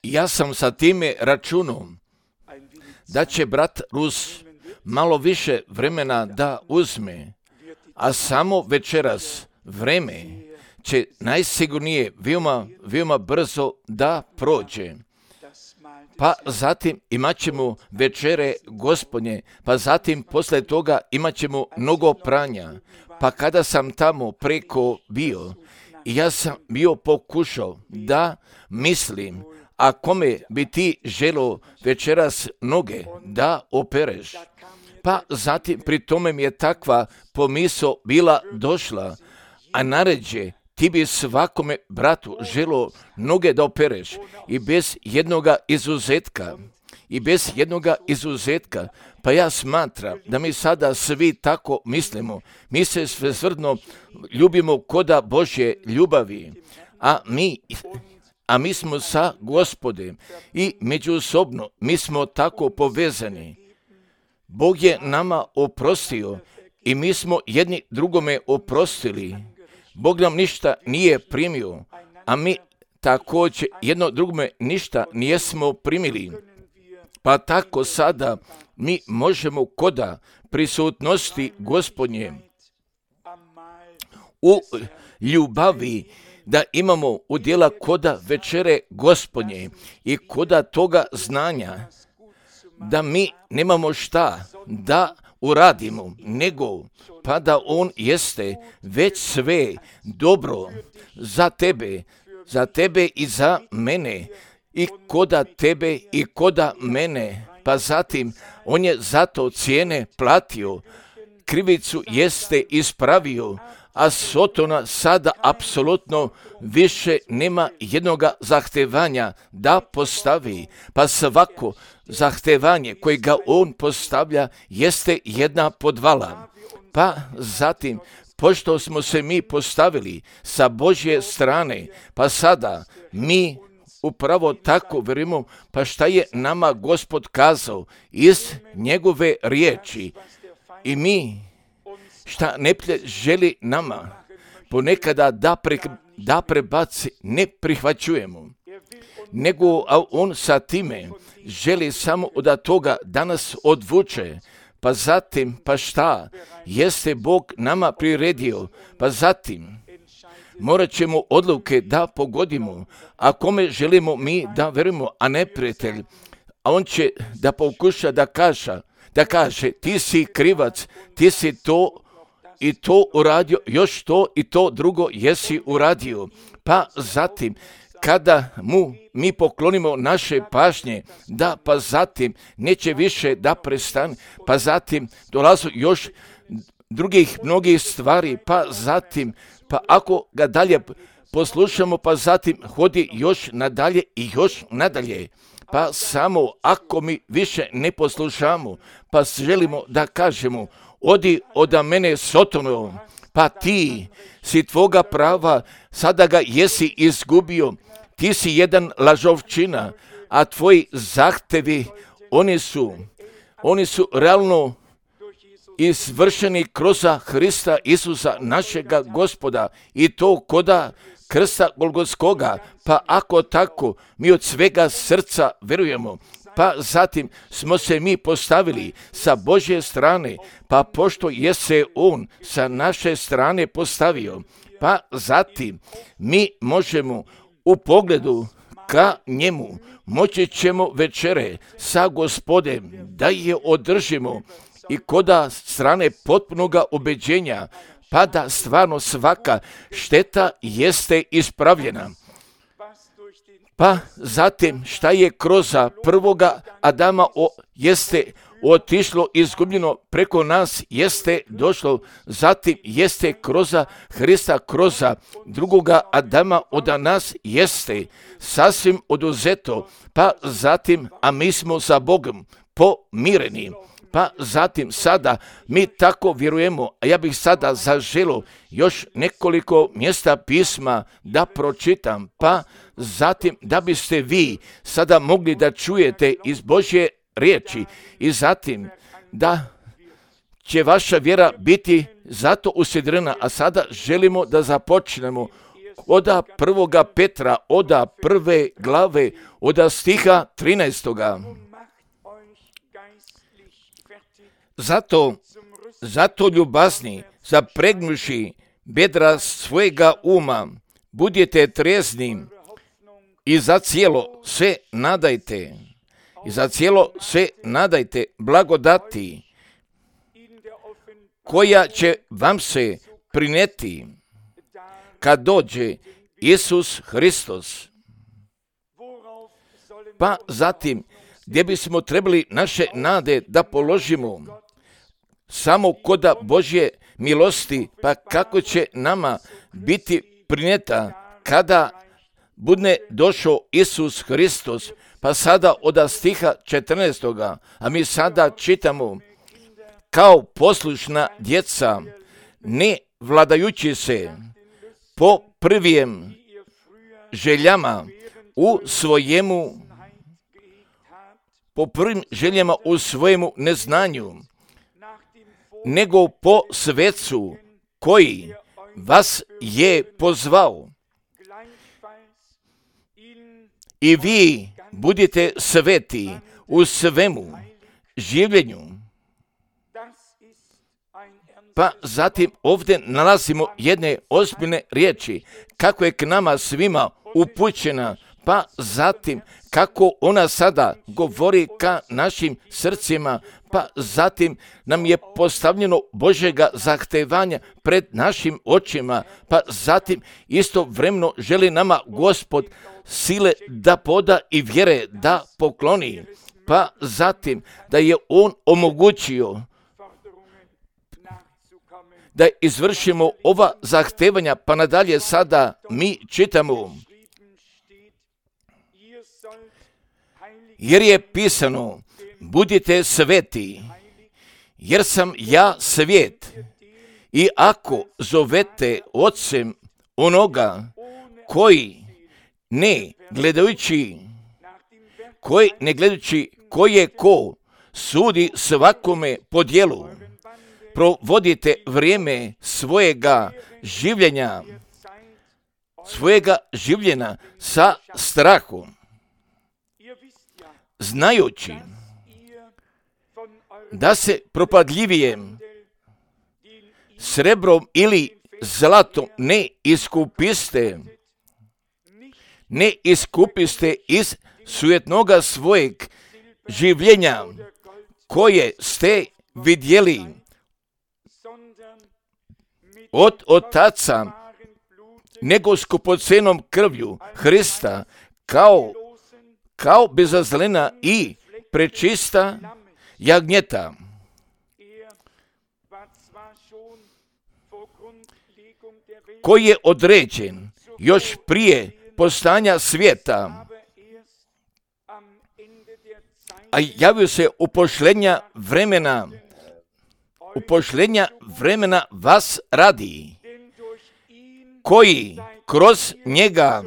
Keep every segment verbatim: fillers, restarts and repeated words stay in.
Ja sam sa time računao da će brat Rus malo više vremena da uzme, a samo večeras vreme će najsigurnije veoma, veoma brzo da prođe. Pa zatim imat ćemo večere Gospodnje, pa zatim posle toga imat ćemo mnogo pranja. Pa kada sam tamo preko bio, ja sam bio pokušao da mislim, a kome bi ti želo večeras noge da opereš. Pa zatim pri tome mi je takva pomisao bila došla, a naređe, ti bi svakome bratu želo noge da opereš i bez jednoga izuzetka. I bez jednoga izuzetka. Pa ja smatram da mi sada svi tako mislimo. Mi se svesrdno ljubimo koda Božje ljubavi, a mi, a mi smo sa Gospodem i međusobno mi smo tako povezani. Bog je nama oprostio i mi smo jedni drugome oprostili. Bog nam ništa nije primio, a mi također jedno drugome ništa nijesmo primili. Pa tako sada mi možemo koda prisutnosti Gospodnje u ljubavi da imamo udjela koda večere Gospodnje i koda toga znanja da mi nemamo šta da uradimo, nego pa da on jeste već sve dobro za tebe, za tebe i za mene, i koda tebe i koda mene, pa zatim on je zato cijene platio, krivicu jeste ispravio, a Sotona sada apsolutno više nema jednoga zahtevanja da postavi, pa svako zahtevanje koje ga on postavlja jeste jedna podvala. Pa zatim, pošto smo se mi postavili sa Božje strane, pa sada mi upravo tako vjerujemo, pa šta je nama Gospod kazao iz njegove riječi. I mi šta neprijatelj želi nama ponekada da, pre, da prebaci, ne prihvaćujemo, nego a on sa time želi samo da toga danas odvuče. Pa zatim, pa šta jeste Bog nama priredio, pa zatim morat ćemo odluke da pogodimo, a kome želimo mi da verujemo, a ne prijatelj, a on će da pokuša da kaže, da kaže ti si krivac, ti si to i to uradio, još to i to drugo jesi uradio. Pa zatim, kada mu mi poklonimo naše pažnje, da pa zatim neće više da prestane, pa zatim dolazu još drugih mnogih stvari, pa zatim, pa ako ga dalje poslušamo, pa zatim hodi još nadalje i još nadalje. Pa samo ako mi više ne poslušamo, pa želimo da kažemo, odi od mene Sotono, pa ti si tvoga prava, sada ga jesi izgubio, ti si jedan lažovčina, a tvoji zahtevi, oni su, oni su realno izvršeni kroz Hrista Isusa našega Gospoda i to koda krsta Golgotskoga. Pa ako tako, mi od svega srca verujemo, pa zatim smo se mi postavili sa Božje strane, pa pošto je se on sa naše strane postavio, pa zatim mi možemo u pogledu ka njemu, moći ćemo večere sa Gospodem da je održimo i koda strane potpunoga ubeđenja, pa da stvarno svaka šteta jeste ispravljena. Pa zatim šta je kroz prvoga Adama o, jeste otišlo, izgubljeno preko nas jeste došlo, zatim jeste kroz Hrista, kroz drugoga Adama od nas jeste sasvim oduzeto, pa zatim, a mi smo sa Bogom pomireni. Pa zatim sada mi tako vjerujemo, a ja bih sada zaželio još nekoliko mjesta pisma da pročitam, pa zatim da biste vi sada mogli da čujete iz Božje riječi i zatim da će vaša vjera biti zato usidrena, a sada želimo da započnemo oda prvoga Petra, oda prve glave, oda stiha trinaestoga. Zato, zato ljubazni, zapregnuši bedra svojega uma, budite trezni i za cijelo se nadajte. I za cijelo se nadajte blagodati koja će vam se prineti kad dođe Isus Hristos. Pa zatim, gdje bismo trebali naše nade da položimo? Samo koda Božje milosti, pa kako će nama biti prineta kada bude došao Isus Hristos? Pa sada od stiha četrnaestoga, a mi sada čitamo: kao poslušna djeca, ne vladajući se po prvijem željama u svojemu, po prvim željama u svojemu neznanju, nego po svecu koji vas je pozvao. I vi budite sveti u svemu življenju. Pa zatim ovdje nalazimo jedne ozbiljne riječi, kako je k nama svima upućena, pa zatim kako ona sada govori ka našim srcima, pa zatim nam je postavljeno Božjega zahtevanja pred našim očima, pa zatim istovremeno želi nama Gospod sile da poda i vjere da pokloni, pa zatim da je On omogućio da izvršimo ova zahtevanja, pa nadalje sada mi čitamo: jer je pisano, budite sveti, jer sam ja svijet. I ako zovete ocem onoga koji ne gledajući, koji ne gledajući ko je ko, sudi svakome po djelu, provodite vrijeme svojega življenja, svojega življenja sa strahom, znajući da se propadljivijem srebrom ili zlatom ne iskupiste, ne iskupiste iz sujetnoga svojeg življenja koje ste vidjeli od otaca, nego skupocenom krvlju Hrista, kao, kao bezazlena i prečista jagnjeta, koji je određen još prije postanja svijeta, a javio se upošljenja vremena, upošljenja vremena vas radi, koji kroz njega,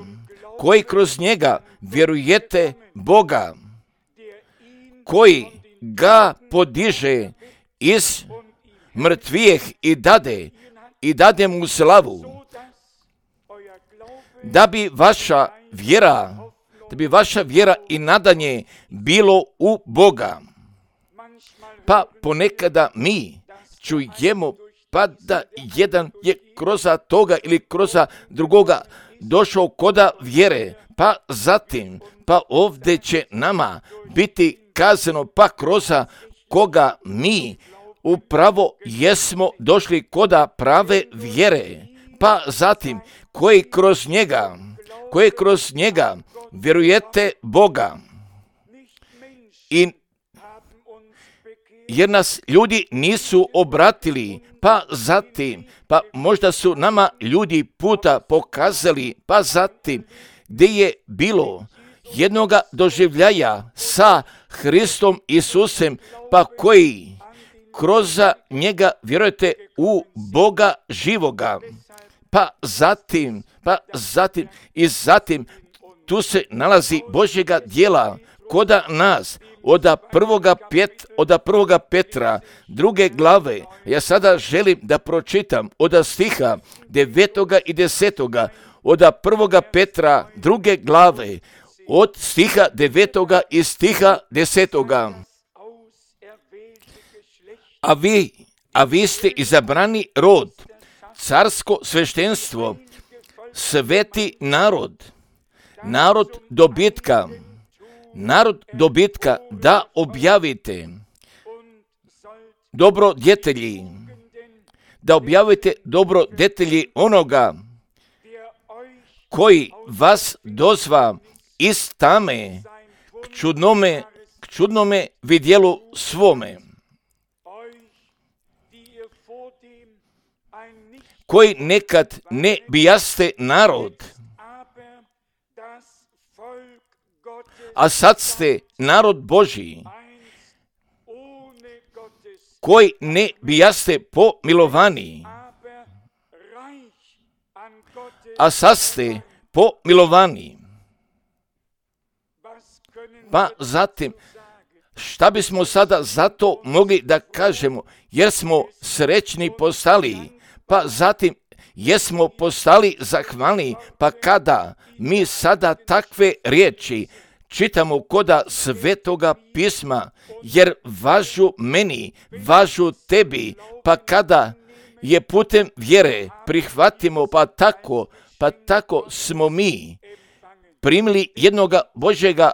koji kroz njega vjerujete Boga, koji ga podiže iz mrtvijeh i dade, i dade mu slavu, da bi vaša vjera, da bi vaša vjera i nadanje bilo u Boga. Pa ponekada mi čujemo pa da jedan je kroz toga ili kroz drugoga došao koda vjere, pa zatim, pa ovdje će nama biti kazano, pa kroz koga mi upravo jesmo došli koda prave vjere, pa zatim koji kroz njega, koji kroz njega vjerujete Boga. I jer nas ljudi nisu obratili, pa zatim, pa možda su nama ljudi puta pokazali, pa zatim, gdje je bilo jednoga doživljaja sa Hristom Isusem, pa koji kroz njega vjerujete u Boga živoga. Pa zatim, pa zatim i zatim, tu se nalazi Božjega djela koda nas, od prvoga, pet, od prvoga Petra, druge glave. Ja sada želim da pročitam od stiha devetoga i desetoga, od prvoga Petra druge glave, od stiha devetoga i stiha desetoga. A vi, a vi ste izabrani rod, carsko sveštenstvo, sveti narod, narod dobitka, narod dobitka, da objavite dobrodjetelji, da objavite dobrodjetelji onoga koji vas dozva iz tame k čudnome, k čudnome vidjelu svome, koji nekad ne bijaste narod, a sad ste narod Božji, koji ne bijaste pomilovani, a sad ste pomilovani. Pa zatim, šta bismo sada zato mogli da kažemo, jer smo srećni postali, pa zatim jesmo postali zahvalni, pa kada mi sada takve riječi čitamo koda Svetoga pisma, jer važu meni, važu tebi, pa kada je putem vjere prihvatimo, pa tako, pa tako smo mi primili jednoga Božjega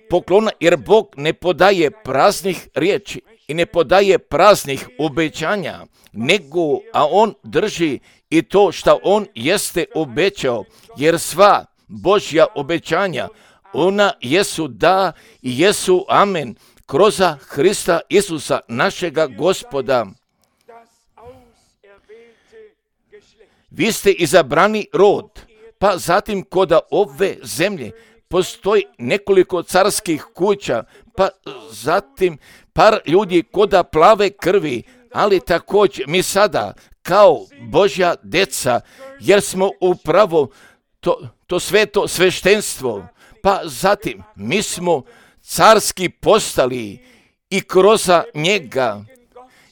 poklona, jer Bog ne podaje praznih riječi i ne podaje praznih obećanja, nego, a On drži i to što On jeste obećao, jer sva Božja obećanja, ona jesu da i jesu amen, kroz Hrista Isusa, našega Gospoda. Vi ste izabrani rod, pa zatim koda ove zemlje postoji nekoliko carskih kuća, pa zatim par ljudi koda plave krvi, ali također mi sada kao Božja deca, jer smo upravo to, to sveto sveštenstvo, pa zatim mi smo carski postali i kroz njega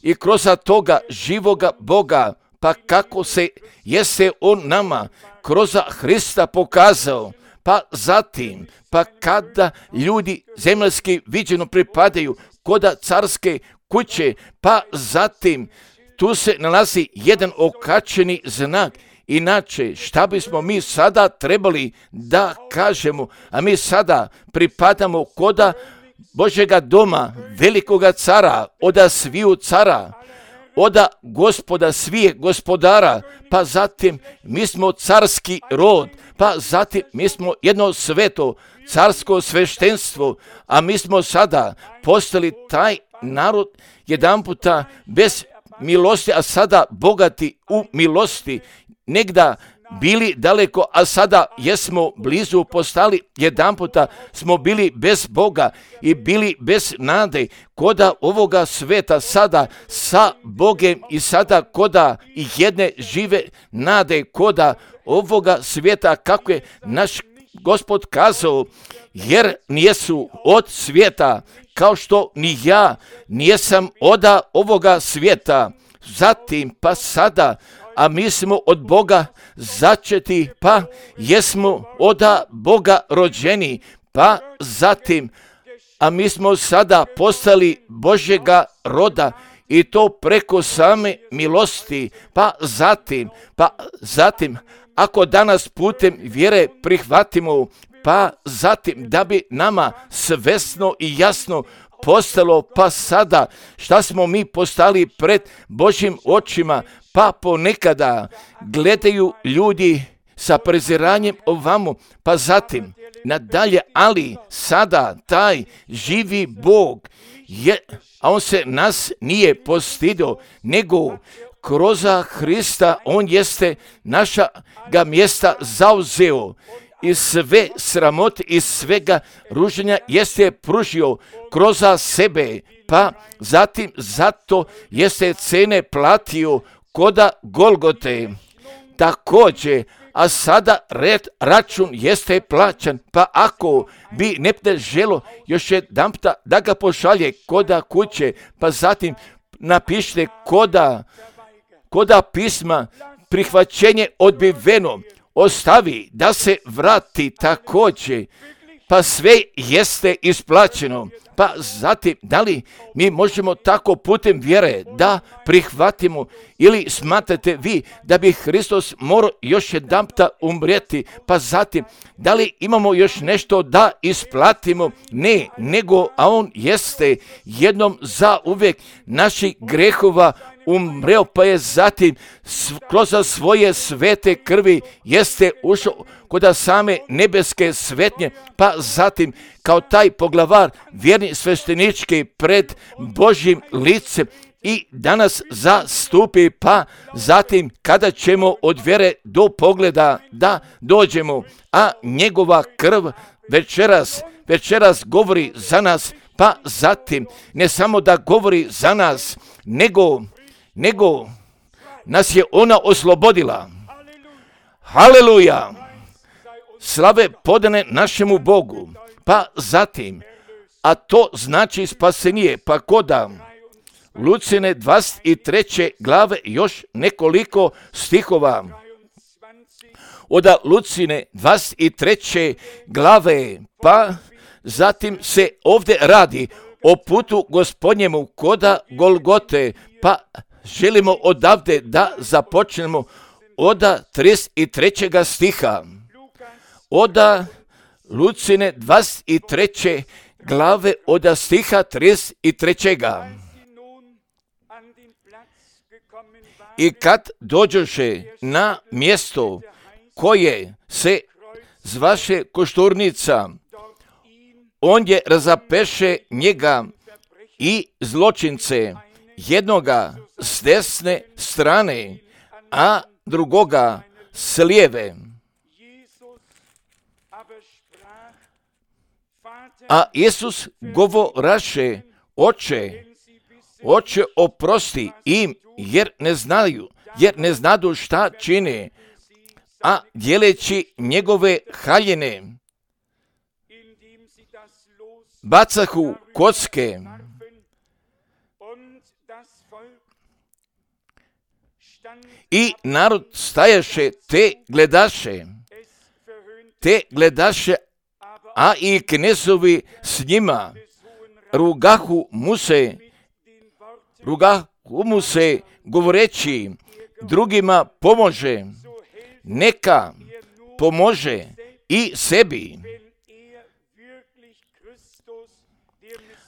i kroz toga živoga Boga, pa kako se jeste On nama kroz Hrista pokazao, pa zatim, pa kada ljudi zemaljski viđeno pripadaju koda carske kuće, pa zatim tu se nalazi jedan okačeni znak. Inače, šta bismo mi sada trebali da kažemo, a mi sada pripadamo koda Božjega doma, velikoga cara, oda sviju cara, oda Gospoda svije gospodara, pa zatim mi smo carski rod, pa zatim mi smo jedno sveto carsko sveštenstvo, a mi smo sada postali taj narod jedan puta bez milosti, a sada bogati u milosti, negda bili daleko, a sada jesmo blizu postali, jedan puta smo bili bez Boga i bili bez nade, koda ovoga sveta sada sa Bogem i sada koda i jedne žive nade, koda ovoga svijeta, kako je naš Gospod kazao, jer nijesu od svijeta, kao što ni ja nijesam oda ovoga svijeta. Zatim pa sada, a mi smo od Boga začeti, pa jesmo oda Boga rođeni, pa zatim, a mi smo sada postali Božjega roda i to preko same milosti, pa zatim, pa zatim, ako danas putem vjere prihvatimo, pa zatim da bi nama svesno i jasno postalo, pa sada šta smo mi postali pred Božjim očima, pa ponekada gledaju ljudi sa preziranjem ovamo, pa zatim nadalje, ali sada taj živi Bog je, a On se nas nije postidio, nego kroz Hrista On jeste našega mjesta zauzeo i sve sramote i svega ruženja jeste pružio kroz sebe, pa zatim zato jeste cene platio koda Golgote. Također, a sada red račun jeste plaćan, pa ako bi nepne želo još jedan puta da ga pošalje koda kuće, pa zatim napišite koda, koda pisma prihvaćenje odbiveno, ostavi, da se vrati također, pa sve jeste isplaćeno. Pa zatim, da li mi možemo tako putem vjere da prihvatimo ili smatrate vi da bi Hristos morao još jedanputa umrijeti, pa zatim, da li imamo još nešto da isplatimo? Ne, nego, a on jeste jednom za uvijek naših grehova umreo, pa je zatim kroz svoje svete krvi jeste ušao kod same nebeske svetnje, pa zatim kao taj poglavar vjerni sveštenički pred Božjim licem i danas zastupi, pa zatim kada ćemo od vjere do pogleda da dođemo, a njegova krv večeras, večeras govori za nas, pa zatim ne samo da govori za nas, nego, nego nas je ona oslobodila. Haleluja! Slave podane našemu Bogu, pa zatim, a to znači spasenije, pa koda Lucine dvadeset treće glave još nekoliko stihova. Od Lucine dvadeset treće glave, pa zatim se ovdje radi o putu Gospodnjemu koda Golgote, pa želimo odavde da započnemo od trideset trećeg stiha. Od Lucine dvadeset treće glave od stiha trideset trećeg. I kad dođoše na mjesto koje se zvaše Košturnica, on je razapeše njega i zločince, jednoga s desne strane, a drugoga s lijeve. A Isus govoraše, oče, oče oprosti im, jer ne znaju, jer ne znadu šta čine, a dijeleći njegove haljine, bacahu kocke. I narod stajaše, te gledaše, te gledaše, a i knezovi s njima, rugahu mu se, rugahu mu se, govoreći, drugima pomože, neka pomože i sebi.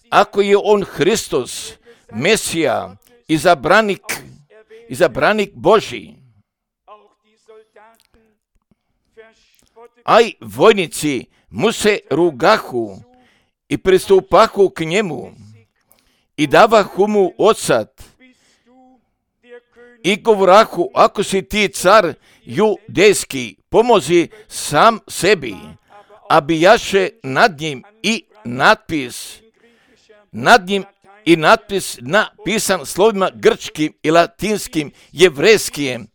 Ako je on Hristos, Mesija, izabranik, izabranik Božji, a i vojnici mu se rugahu i pristupahu k njemu i davahu mu odsad i govorahu, ako si ti car judejski, pomozi sam sebi, a bijaše nad njim i natpis, nad njim i natpis napisan slovima grčkim i latinskim, jevrejskim.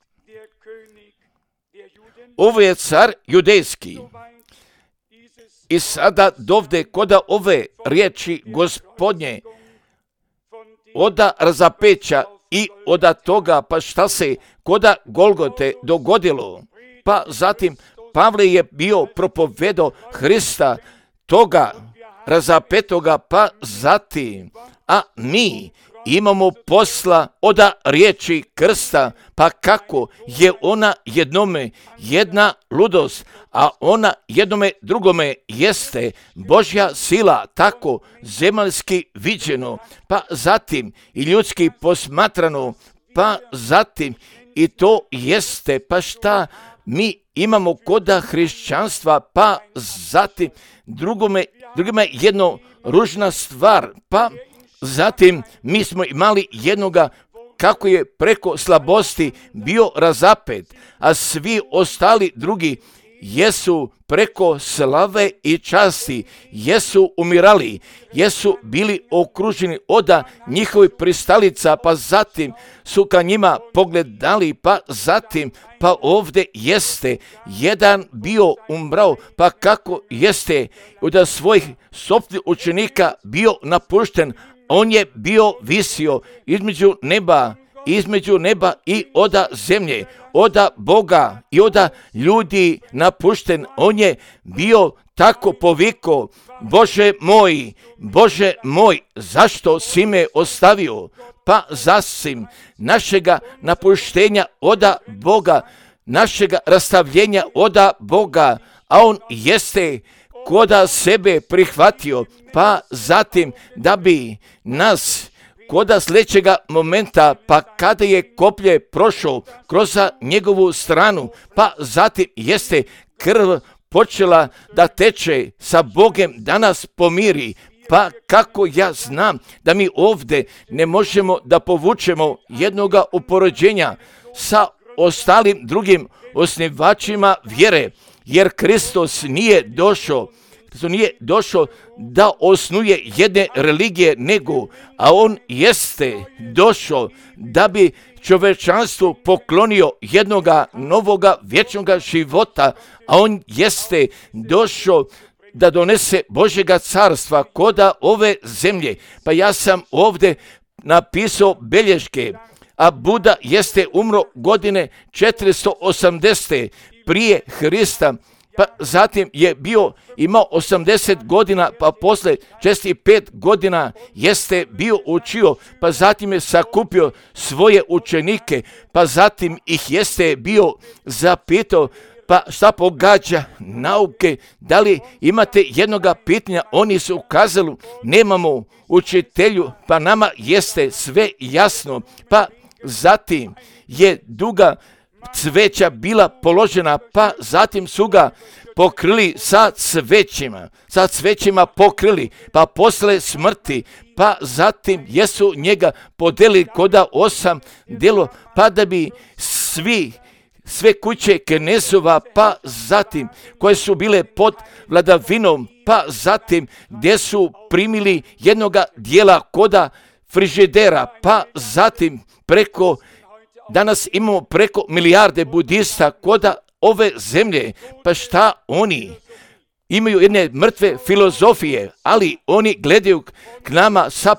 Ovo je car judejski. I sada dovde koda ove riječi Gospodnje, oda razapeća i oda toga, pa šta se koda Golgote dogodilo. Pa zatim Pavle je bio propovedo Hrista, toga razapetoga, pa zatim, a mi imamo posla od riječi krsta, pa kako je ona jednome jedna ludost, a ona jednome drugome jeste Božja sila, tako zemaljski viđeno, pa zatim i ljudski posmatrano, pa zatim i to jeste, pa šta mi imamo koda hrišćanstva, pa zatim drugome, drugome jedno ružna stvar, pa zatim mi smo imali jednoga kako je preko slabosti bio razapet, a svi ostali drugi jesu preko slave i časti, jesu umirali, jesu bili okruženi od njihovih pristalica, pa zatim su ka njima pogledali, pa zatim, pa ovdje jeste jedan bio umrao, pa kako jeste od svojih sopstvenih učenika bio napušten, on je bio visio između neba između neba i oda zemlje, oda Boga i oda ljudi napušten. On je bio tako poviko, Bože moj, Bože moj, zašto si me ostavio? Pa zasim našega napuštenja oda Boga, našega rastavljenja oda Boga, a on jeste koda sebe prihvatio, pa zatim da bi nas koda sljedećega momenta, pa kada je koplje prošao kroz njegovu stranu, pa zatim jeste krv počela da teče sa Bogem, da nas pomiri. Pa kako ja znam da mi ovdje ne možemo da povučemo jednoga upoređenja sa ostalim drugim osnivačima vjere, jer Kristus nije došao Kristus nije došao da osnuje jedne religije, nego, a on jeste došao da bi čovečanstvu poklonio jednoga novoga vječnoga života, a on jeste došao da donese Božjega carstva koda ove zemlje. Pa ja sam ovdje napisao belješke, a Buda jeste umro godine četiristo osamdeset prije Hrista, pa zatim je bio, imao osamdeset godina, pa posle šezdeset pet godina jeste bio učio, pa zatim je sakupio svoje učenike, pa zatim ih jeste bio zapitao, pa šta pogađa nauke, da li imate jednoga pitanja? Oni su ukazali, nemamo učitelju, pa nama jeste sve jasno. Pa zatim je duga cveća bila položena, pa zatim su ga pokrili sa cvećima, sa cvećima pokrili, pa posle smrti, pa zatim jesu njega podelili koda osam delo, pa da bi svi sve kuće Kenesova, pa zatim koje su bile pod vladavinom, pa zatim gdje su primili jednoga dijela koda frižidera, pa zatim preko, danas imamo preko milijarde budista koda ove zemlje, pa šta oni imaju jedne mrtve filozofije, ali oni gledaju k nama sa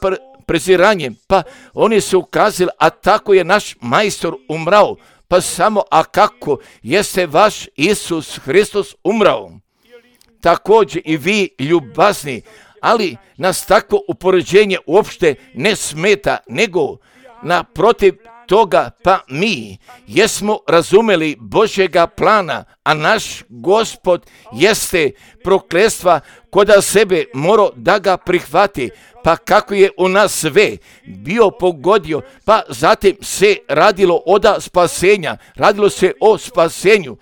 preziranjem, pa oni su ukazali, a tako je naš majstor umrao. Pa samo, a kako jeste vaš Isus Hristos umrao? Također i vi ljubazni, ali nas takvo upoređenje uopšte ne smeta, nego naprotiv toga, pa mi jesmo razumeli Božjega plana, a naš Gospod jeste prokletstva koda sebe morao da ga prihvati, pa kako je u nas sve bio pogodio, pa zatim se radilo oda spasenja, radilo se o spasenju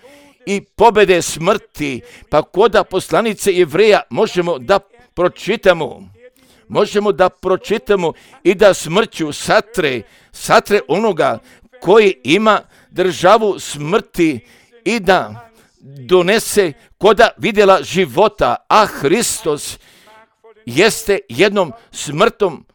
i pobede smrti, pa koda poslanice Jevreja možemo da pročitamo, možemo da pročitamo i da smrću satre, satre onoga koji ima državu smrti i da donese koda vidjela života, a Hristos jeste jednom smrtom,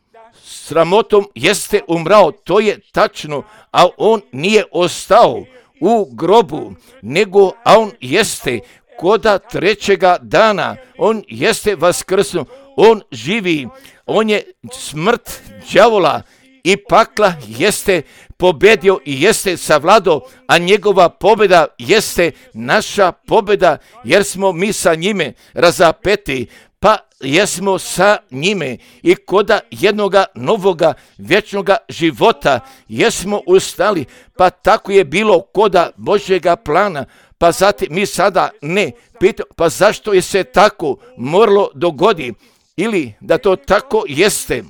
sramotom jeste umrao, to je tačno, a on nije ostao u grobu, nego a on jeste koda trećega dana, on jeste vaskrsnuo, on živi, on je smrt đavola i pakla jeste pobedio i jeste savladao, a njegova pobjeda jeste naša pobjeda, jer smo mi sa njime razapeti, pa jesmo sa njime i koda jednoga novoga vječnoga života jesmo ustali, pa tako je bilo koda Božjega plana. Pa zatim mi sada ne pitamo, pa zašto je se tako moralo dogodi, ili da to tako jeste,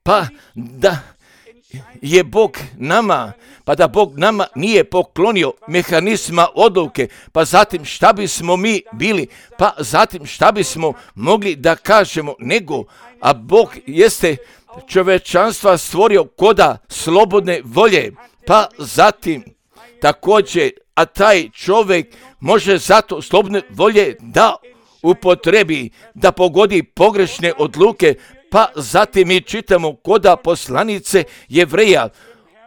pa da je Bog nama, pa da Bog nama nije poklonio mehanizma odluke, pa zatim šta bismo mi bili, pa zatim šta bismo mogli da kažemo, nego, a Bog jeste čovečanstva stvorio koda slobodne volje, pa zatim također, a taj čovjek može zato slobodne volje da upotrebi, da pogodi pogrešne odluke, pa zatim mi čitamo koda poslanice Jevreja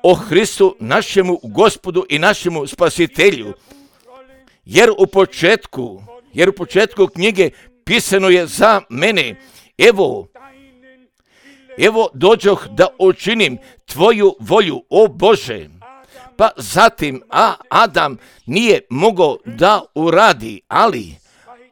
o Hristu, našemu Gospodu i našemu Spasitelju. Jer u početku, jer u početku knjige pisano je za mene, evo, evo dođoh da učinim tvoju volju, o Bože. Pa zatim, a Adam nije mogao da uradi, ali,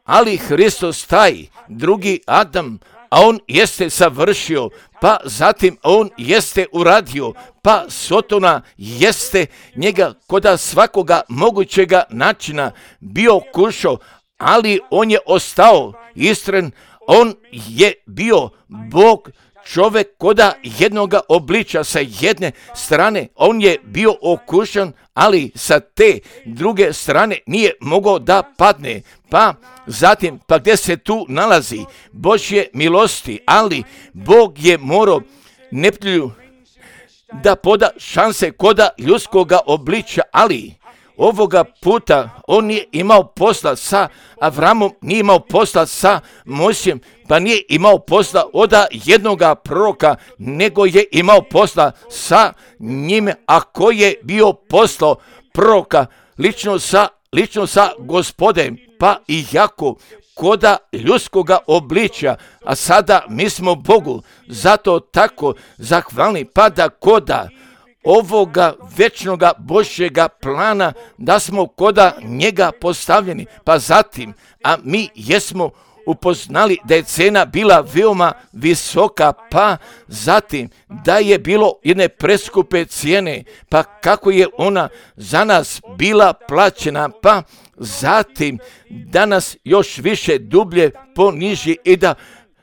ali Hristos taj, drugi Adam, a on jeste savršio, pa zatim on jeste uradio, pa Sotona jeste njega koda svakoga mogućega načina bio kušao, ali on je ostao istren, on je bio Bog, čovjek koda jednoga obliča sa jedne strane, on je bio okušan, ali sa te druge strane nije mogao da padne. Pa zatim, pa gdje se tu nalazi Božje milosti, ali Bog je morao neplju da poda šanse koda ljudskoga obliča, ali ovoga puta on nije imao posla sa Avramom, nije imao posla sa Mojsijem, pa nije imao posla od jednoga proroka, nego je imao posla sa njime, a koji je bio poslao proroka lično sa, lično sa Gospodem, pa i jako koda ljudskoga obličja, a sada mi smo Bogu zato tako zahvalni, pa da koda ovoga večnoga Božjega plana, da smo koda njega postavljeni, pa zatim, a mi jesmo upoznali da je cena bila veoma visoka, pa zatim da je bilo jedne preskupe cijene, pa kako je ona za nas bila plaćena, pa zatim da nas još više dublje poniži i da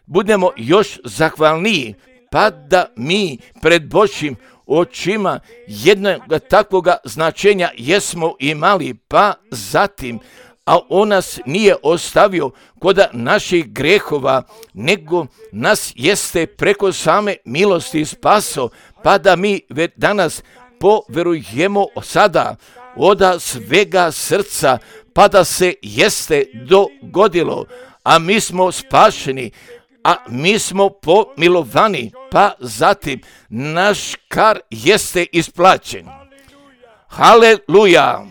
budemo još zahvalniji, pa da mi pred Božjim očima jednog takvoga značenja jesmo imali, pa zatim, a on nas nije ostavio koda naših grehova, nego nas jeste preko same milosti spaso, pa da mi danas poverujemo sada od svega srca, pa da se jeste dogodilo, a mi smo spašeni, a mi smo pomilovani, pa zatim naš kar jeste isplaćen. Haleluja!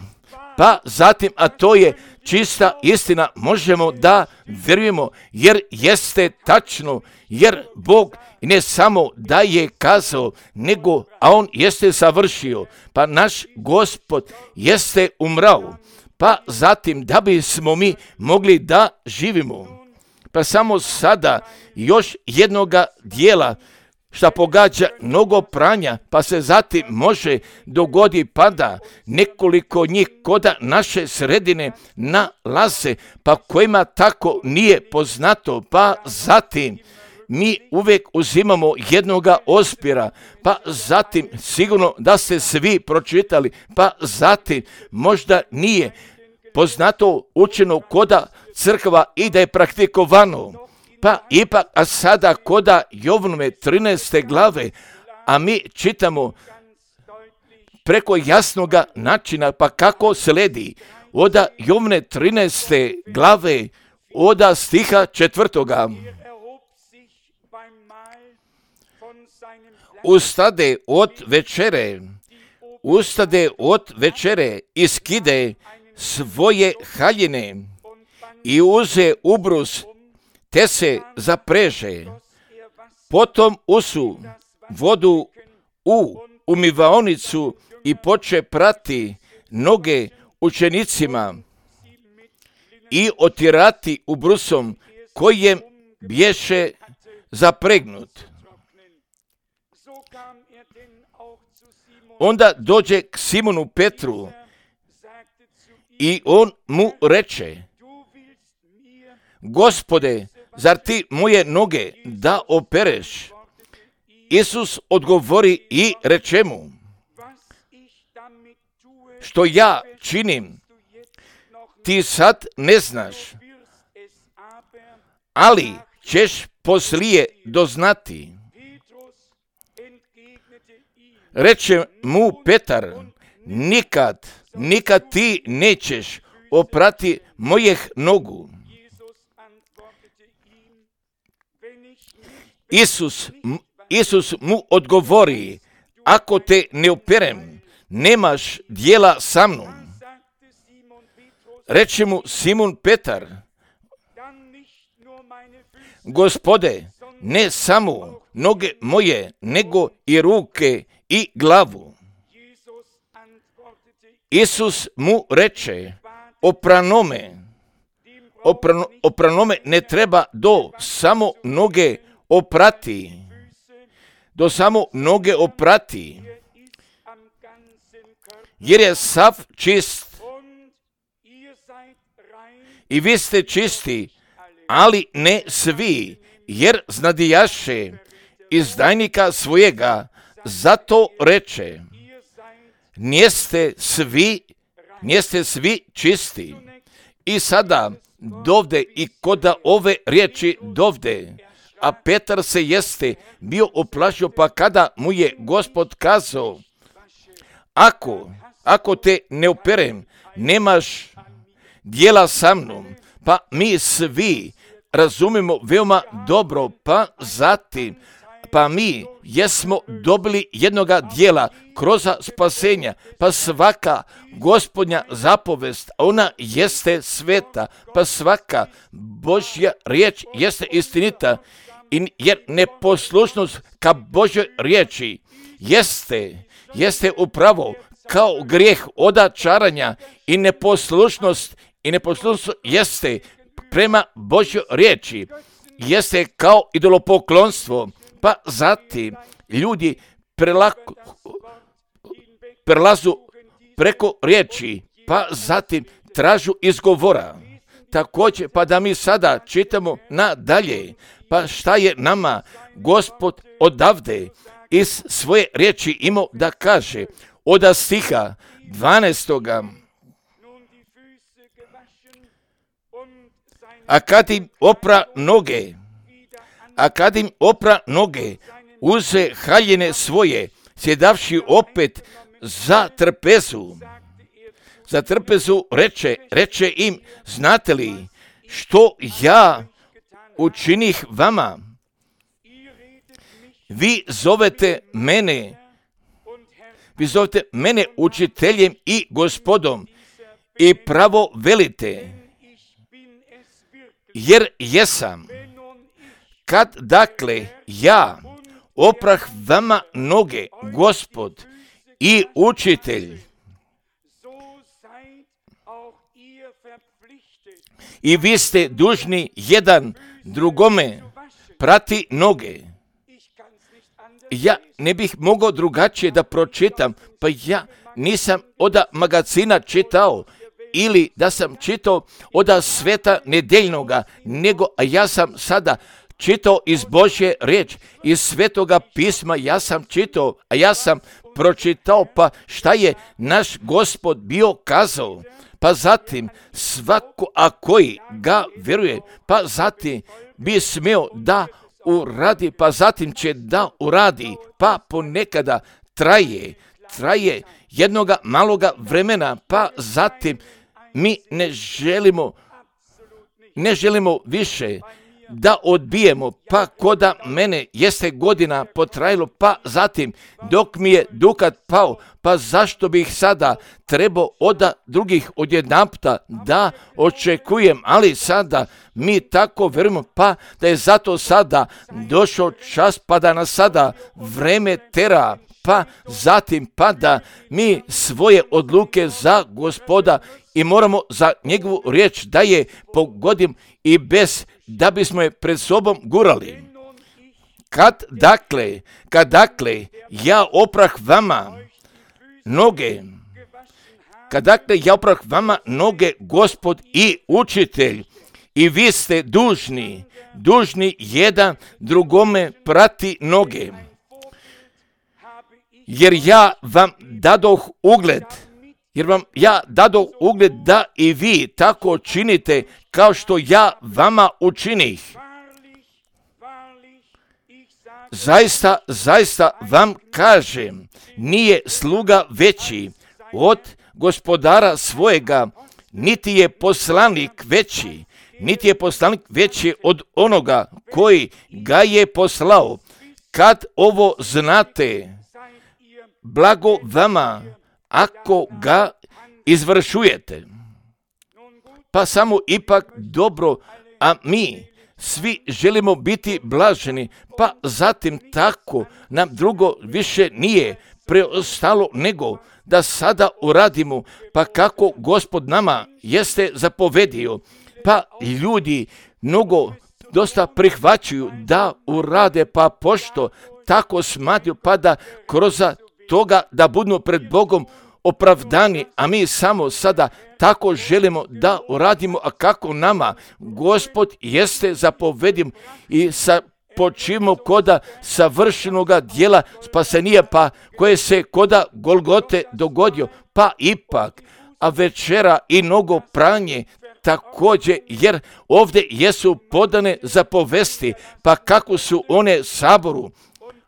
Pa zatim, a to je čista istina, možemo da vjerujemo, jer jeste tačno, jer Bog ne samo da je kazao, nego, a on jeste savršio, pa naš Gospod jeste umrao, pa zatim da bismo mi mogli da živimo. Pa samo sada još jednoga dijela šta pogađa mnogo pranja, pa se zatim može dogodi pada nekoliko njih koda naše sredine nalaze, pa kojima tako nije poznato, pa zatim mi uvijek uzimamo jednoga ospira, pa zatim sigurno da ste svi pročitali, pa zatim možda nije poznato učeno koda crkva i da je praktikovano, pa ipak, a sada koda Jovanove trinaeste glave, a mi čitamo preko jasnoga načina, pa kako sledi od Jovane trinaeste glave, od stiha četvrtoga. Ustade od večere, ustade od večere i skide svoje haljine i uze ubrus, te se zapreže. Potom usu vodu u umivaonicu i poče prati noge učenicima i otirati ubrusom kojem bješe zapregnut. Onda dođe k Simonu Petru i on mu reče: Gospode, zar ti moje noge da opereš? Isus odgovori i reče mu: što ja činim, ti sad ne znaš, ali ćeš poslije doznati. Reče mu Petar: nikad, nikad ti nećeš oprati mojih nogu. Isus, Isus mu odgovori: ako te ne operem, nemaš dijela sa mnom. Reče mu Simon Petar: Gospode, ne samo noge moje, nego i ruke i glavu. Isus mu reče, opranome, oprano, opranome ne treba do samo noge oprati, do samo noge oprati, jer je sav čist i vi ste čisti, ali ne svi, jer znadijaše izdajnika svojega, zato reče, njeste svi, njeste svi čisti. I sada dovde i koda ove riječi dovde, a Petar se jeste bio oplašio, pa kada mu je Gospod kazao, ako, ako te ne operem, nemaš dijela sa mnom, pa mi svi razumimo veoma dobro, pa zatim, pa mi jesmo dobili jednoga dijela kroz spasenja, pa svaka Gospodnja zapovest, ona jeste sveta, pa svaka Božja riječ jeste istinita, jer neposlušnost ka Božjoj riječi jeste, jeste upravo kao grijeh odačaranja i neposlušnost, i neposlušnost jeste prema Božjoj riječi, jeste kao idolopoklonstvo, pa zatim ljudi prelako, prelazu preko riječi, pa zatim tražu izgovora. Također, pa da mi sada čitamo nadalje, pa šta je nama Gospod odavde iz svoje riječi imao da kaže, od stiha dvanaestoga. A kad im opra noge, a kad im opra noge, uze haljine svoje, sjedavši opet za trpezu. Za trpezu reče, reče im, znate li što ja učinih vama? Vi zovete mene, vi zovete mene učiteljem i gospodom i pravo velite, jer jesam. Kad dakle ja oprah vama noge, Gospod i učitelj, i vi ste dužni jedan drugome prati noge. Ja ne bih mogao drugačije da pročitam, pa ja nisam od magazina čitao, ili da sam čitao od sveta nedeljnoga, nego a ja sam sada čitao iz Božje riječi, iz Svetoga pisma ja sam čitao, a ja sam pročitao pa šta je naš Gospod bio kazao, pa zatim svako a koji ga vjeruje, pa zatim bi smio da uradi, pa zatim će da uradi, pa ponekada traje, traje jednoga maloga vremena, pa zatim mi ne želimo, ne želimo više da odbijemo, pa koda mene jeste godina potrajalo, pa zatim dok mi je dukat pao, pa zašto bih sada trebao od drugih odjedanputa da očekujem, ali sada mi tako verujemo, pa da je zato sada došao čas, pa da nas sada vreme tera, pa zatim pa da mi svoje odluke za Gospoda i moramo za njegovu riječ da je pogodim i bez da bismo je pred sobom gurali. Kad dakle, kad dakle ja oprah vama noge, kad dakle ja oprah vama noge, Gospod i učitelj, i vi ste dužni, dužni jedan drugome prati noge. Jer ja vam dadoh ugled, jer vam ja dadoh ugled da i vi tako činite kao što ja vama učinih. Zaista, zaista vam kažem, nije sluga veći od gospodara svojega, niti je poslanik veći, niti je poslanik veći od onoga koji ga je poslao. Kad ovo znate, blago vama ako ga izvršujete. Pa samo ipak dobro, a mi svi želimo biti blaženi, pa zatim tako nam drugo više nije preostalo nego da sada uradimo, pa kako Gospod nama jeste zapovedio, pa ljudi mnogo dosta prihvaćaju da urade, pa pošto tako smatruju, pa da kroz toga da budu pred Bogom opravdani, a mi samo sada tako želimo da uradimo, a kako nama Gospod jeste zapovedio i sa počimo koda savršenoga dijela spasenija, pa koje se koda Golgote dogodio, pa ipak, a večera i mnogo pranje također, jer ovdje jesu podane zapovesti, pa kako su one saboru,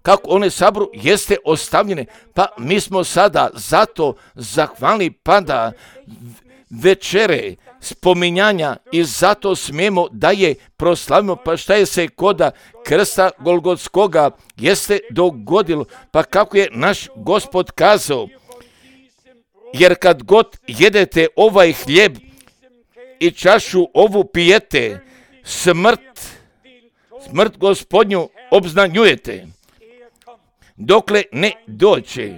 kako one saboru jeste ostavljene, pa mi smo sada zato zahvalni, pa da večere spominjanja i zato smijemo da je proslavimo, pa šta je se koda krsta Golgotskoga jeste dogodilo, pa kako je naš Gospod kazao, jer kad god jedete ovaj hljeb i čašu ovu pijete, smrt, smrt Gospodnju obznanjujete, dokle ne dođe.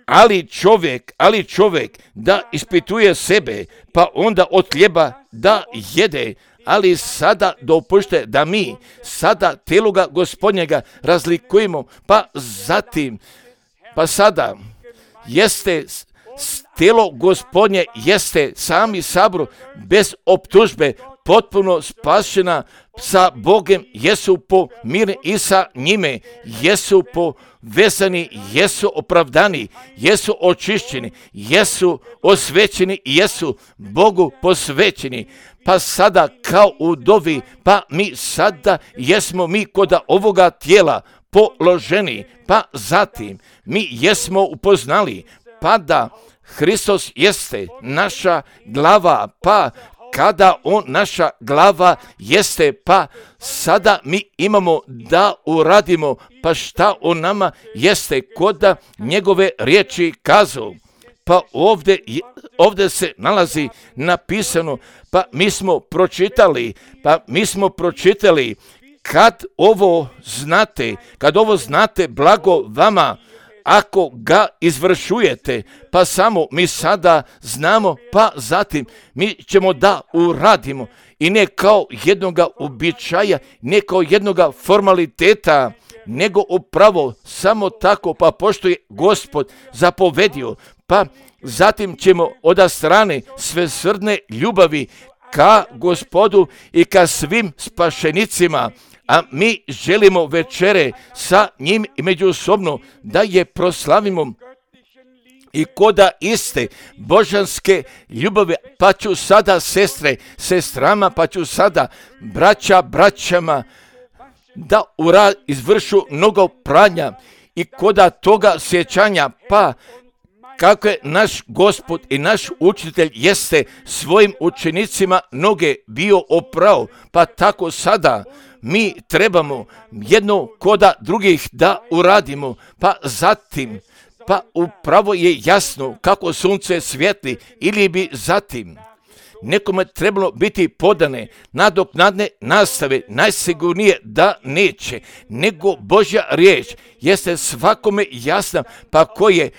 Ali čovjek, ali čovjek da ispituje sebe, pa onda od hljeba da jede, ali sada dopušte da mi sada teloga Gospodnjega razlikujemo, pa zatim, pa sada jeste telo Gospodnje, jeste sami sabor bez optužbe, potpuno spašena sa Bogem, jesu pomireni i sa njime, jesu povezani, jesu opravdani, jesu očišćeni, jesu osvećeni, jesu Bogu posvećeni. Pa sada kao u dovi, pa mi sada jesmo mi koda ovoga tijela položeni, pa zatim mi jesmo upoznali, pa da Hristos jeste naša glava, pa kada on naša glava jeste, pa sada mi imamo da uradimo, pa šta on nama jeste koda njegove riječi kazao. Pa ovdje, ovdje se nalazi napisano, pa mi smo pročitali, pa mi smo pročitali, kad ovo znate, kad ovo znate, blago vama, ako ga izvršujete, pa samo mi sada znamo, pa zatim mi ćemo da uradimo i ne kao jednoga običaja, ne kao jednoga formaliteta, nego upravo samo tako, pa pošto je Gospod zapovedio, pa zatim ćemo od strane svesrdne ljubavi ka Gospodu i ka svim spašenicima, a mi želimo večere sa njim i međusobno da je proslavimo i koda iste božanske ljubavi, pa ću sada sestre, sestrama, pa ću sada braća, braćama da ura izvršu mnogo pranja i koda toga sjećanja, pa kako je naš Gospod i naš učitelj jeste svojim učenicima noge bio oprao, pa tako sada mi trebamo jedno koda drugih da uradimo, pa zatim, pa upravo je jasno kako sunce svijetli, ili bi zatim nekome trebalo biti podane nadoknadne nastave, najsigurnije da neće, nego Božja riječ jeste svakome jasna, pa koje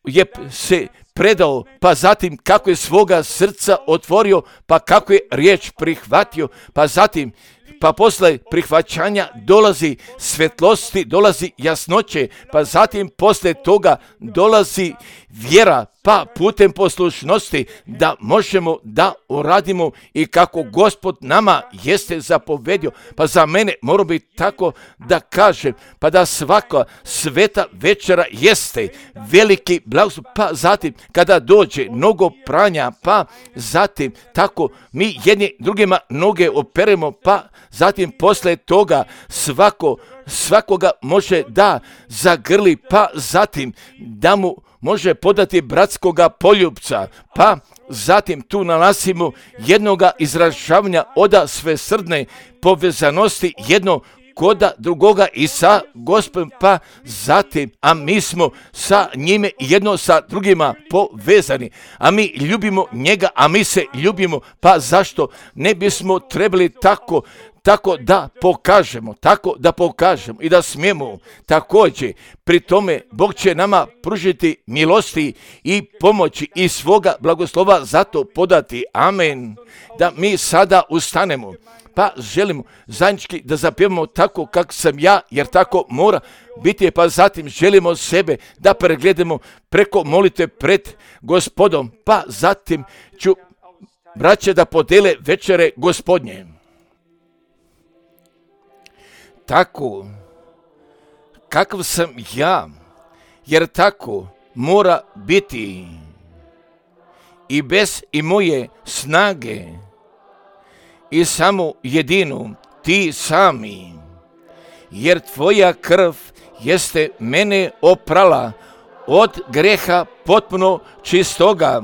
je se predao, pa zatim kako je svoga srca otvorio, pa kako je riječ prihvatio, pa zatim pa posle prihvaćanja dolazi svetlosti, dolazi jasnoće, pa zatim posle toga dolazi vjera, pa putem poslušnosti da možemo da uradimo i kako Gospod nama jeste zapovedio. Pa za mene mora biti tako da kažem, pa da svaka sveta večera jeste veliki blagoslov, pa zatim kada dođe mnogo pranja, pa zatim tako mi jedni drugima noge operemo, pa zatim posle toga svako, svakoga može da zagrli, pa zatim da mu može podati bratskoga poljupca, pa zatim tu nalazimo jednoga izražavanja oda svesrdne povezanosti, jedno koda drugoga i sa Gospodom, pa zatim, a mi smo sa njime jedno sa drugima povezani, a mi ljubimo njega, a mi se ljubimo, pa zašto ne bismo trebali tako tako da pokažemo, tako da pokažemo i da smijemo također. Pri tome Bog će nama pružiti milosti i pomoći i svoga blagoslova zato podati. Amen. Da mi sada ustanemo, pa želimo zajednički da zapjevamo tako kako sam ja, jer tako mora biti, pa zatim želimo sebe da pregledamo preko molitve pred Gospodom, pa zatim ću braće da podele večere Gospodnje. Tako, kakav sam ja, jer tako mora biti i bez i moje snage i samo jedinu ti sami, jer tvoja krv jeste mene oprala od greha potpuno čistoga.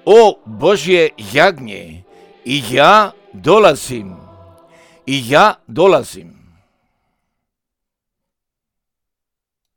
O Božje jagnje, i ja dolazim. I ja dolazim.